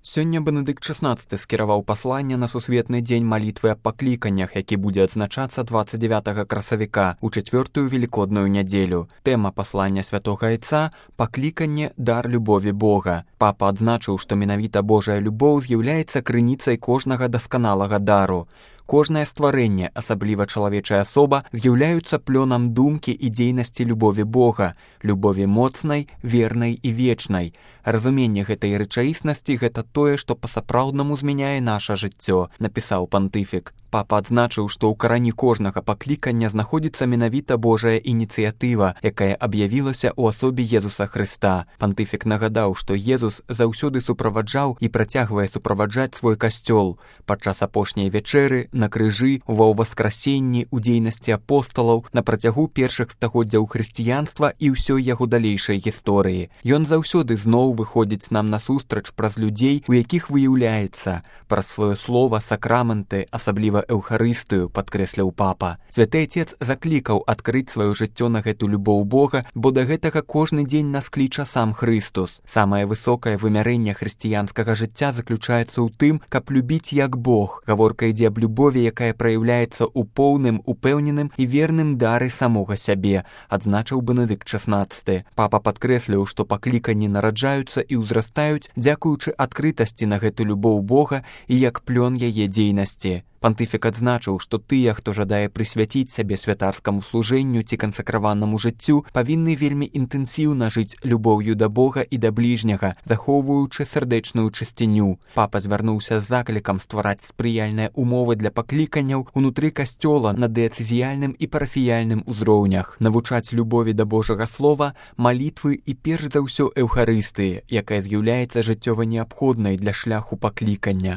Сёння Бенедыкт XVI скіраваў пасланне на сусветны дзень малітвы аб пакліканнях, які будзе адзначацца 29 красавіка у чацвёртую велікодную нядзелю. Тэма паслання святога Айца – пакліканне дар любові Бога. Папа адзначыў, што менавіта Божая любоў з'яўляецца крыніцай кожнага дасканалага дару. Кожнае стварэнне, асабліва чалавечая асоба, з'яўляюцца плёнам думкі і дзейнасці любові Бога, любові моцнай, вернай і вечнай. Разуменне гэтай рэчаіснасці – гэта тое, што па-сапраўднаму змяняе наша жыццё, напісаў пантыфік. Папа адзначыў, што ў карані кожнага паклікання знаходзіцца менавіта Божая ініцыятыва, якая аб'явілася ў асобе Езуса Хрыста. Пантыфік нагадаў, што Езус заўсёды суправаджаў і працягвае суправаджаць свой касцёл падчас апошняй вячэры, на крыжы, ва ўваскрасенні, у дзейнасці апосталаў, на працягу першых стагоддзяў хрысціянства і ўсёй яго далейшай гісторыі. Ён заўсёды зноў выходзіць нам насустрач праз людзей, у якіх выяўляецца, праз сваё слова, сакрамэнты, асабліва эўхарыстыю, падкрэсліў папа. Святы Отец заклікаў адкрыць сваё жыццё на гэту любоў Бога, бо да гэтага кожны дзень нас кліча сам Хрыстус. Самае высокае вымярэнне хрысціянскага жыцця заключаецца ў тым, каб любіць як Бог. Гаворка ідзе аб любові, якая праяўляецца ў поўным, упэўненым і верным дары самога сябе, адзначыў Бенедыкт XVI. Папа падкрэсліў, што пакліканні нараджаюцца і ўзрастаюць дзякуючы адкрытасці на гэту любоў Бога і як плён яе дзейнасці. Пантыфік адзначыў, што тыя, хто жадае прысвяціць сябе святарскаму служэнню ці кансакраванаму жыццю, павінны вельмі інтэнсіўна жыць любоўю да Бога і да бліжняга, захоўваючы сардэчную чысціню. Папа звярнуўся з заклікам ствараць спрыяльныя умовы для пакліканняў унутры касцёла на дыяцэзіяльным і парафіяльным узроўнях, навучаць любові да Божага слова, малітвы і перш за ўсё эўхарыстыі, якая з'яўляецца жыццёва неабходнай для шляху паклікання.